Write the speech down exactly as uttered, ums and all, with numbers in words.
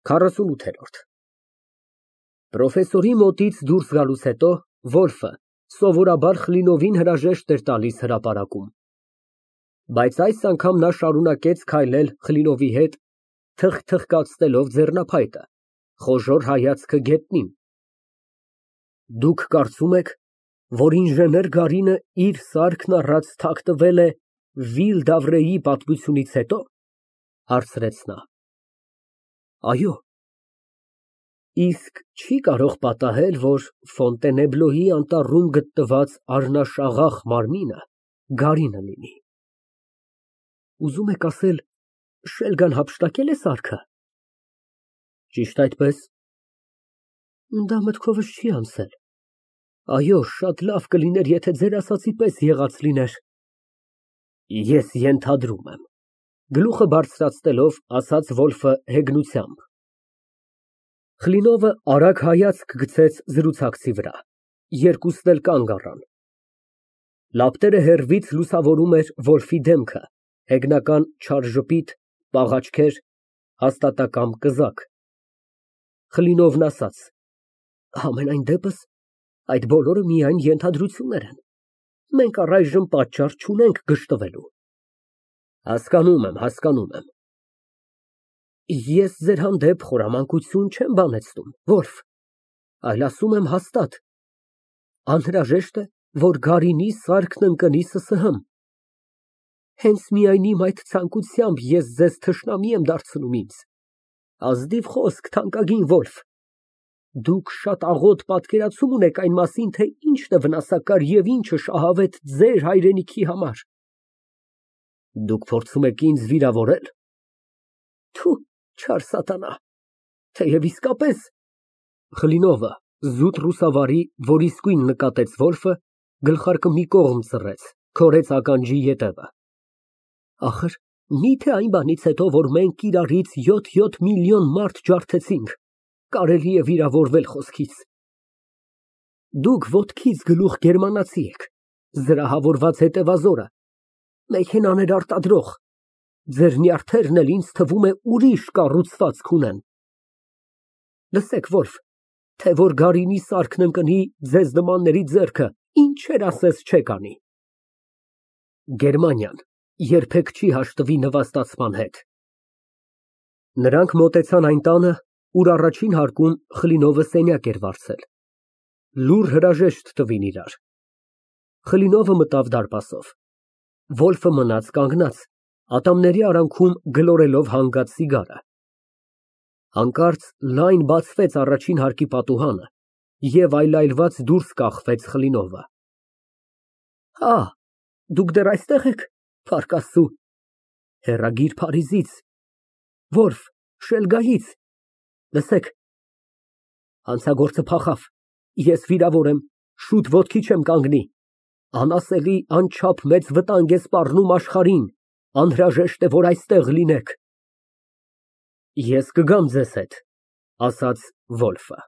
քառասունութ Պրոֆեսորի մոտից դուրս գալուց հետո Ոլֆը սովորաբար Կլինովին հրաժեշտ էր տալիս հրապարակում, բայց այս անգամ նա շարունակեց քայլել Կլինովի հետ, թխթխկացնելով ձեռնափայտը, խոժոռ հայացքը գետնին։ Դուք կարծում եք, որ ինժեներ Գարինը իր սարքն առած թաքնվել է Վիլ֊դավրեի պատմությունից հետո, հարցրեց նա։ Այո։ Իսկ չի կարող պատահել, որ Ֆոնտենեբլոյի անտառում գտնված առնաշաղախ մարմինը Գարինը լինի։ Ուզում եք ասել, Շելգան հափշտակե՞լ է սարքը։ Ճիշտ այդպես։ Դա մտքովս չի անցել։ Այո, շատ լավ կլիներ, եթե ձեր ասածի պես եղած լիներ։ Ես ենթադրում եմ, գլուխը բարձրացնելով, ասաց Վոլֆը հեգնությամբ։ Կլինովը արագ հայացք գցեց զրուցակցի վրա, երկուսն էլ կանգ առան։ Լապտերը հեռվից լուսավորում էր Վոլֆի դեմքը, հեգնական չար ժպիտ, պաղ աչքեր, հաստատակամ կզակ։ Կլինովն ասաց. Համենայն դեպս, այդ բոլորը միայն ենթադրություններ են, մենք առայժմ պատճառ չունենք գժտվելու։ Հասկանում եմ, հասկանում եմ։ Ես ձեր հանդեպ խորամանկություն չեմ բանեցնում, Վոլֆ, այլ ասում եմ հաստատ. անհրաժեշտ է, որ Գարինի սարքն ընկնի ՍՍՀ֊մ։ Հենց միայն իմ այդ ցանկությամբ ես ձեզ թշնամի եմ դարձնում ինձ։ Ազնիվ խոսք, թանկագին Վոլֆ, դուք շատ աղոտ պատկերացում ունեք այն մասին, թե ինչն է վնասակար և ինչը շահավետ ձեր հայրենիքի համար։ Դուք փորձում եք ինձ վիրավորե՞լ։ Թու, չար սատանա, թեև իսկապես… Կլինովը, զուտ ռուսավարի, որ իսկույն նկատեց Վոլֆը, գլխարկը մի կողմ ծռեց, քորեց ականջի ետևը։ Ախր, միթե այն բանից հետո, որ մենք իրարից յոթ֊յոթ միլիոն մարդ ջարդեցինք, կարելի է վիրավորվել խոսքից։ Դուք ոտքից գլուխ գերմանացի եք, զրահավորված հետևազորը, մեքենաներ արտադրող, ձեր նյարդերն էլ ինձ թվում է ուրիշ կառուցվածք ունեն։ Լսեք, Վոլֆ, թե որ Գարինի սարքն ընկնի ձեզ նմանների ձեռքը, ինչեր ասես չեք անի։ Գերմանիան երբեք չի հաշտվի նվաստացման հետ։ Նրանք մոտեցան այն տանը, ուր առաջին հարկում Կլինովը սենյակ էր վարձել։ Լուռ հրաժեշտ տվին իրար։ Կլինովը մտավ դարպասով։ Վոլֆը մնաց կանգնած, ատամների արանքում գլորելով հանգած սիգարը։ Հանկարծ լայն բացվեց առաջին հարկի պատուհանը, և այլայլված դուրս կախվեց Կլինովը։ Հա, դուք դեռ այստեղ եք, Փառք Աստծո, հեռագիր Փարիզից, Վոլֆ, Շելգայից, լսեք, հանցագործը փախավ, ես վիրավոր եմ, շուտ ոտքի չեմ կանգնի, անասելի անչափ մեծ վտանգ է սպառնում աշխարհին, անհրաժեշտ է, որ այստեղ լինեք։ Ես կգամ ձեզ հետ, ասաց Վոլֆը։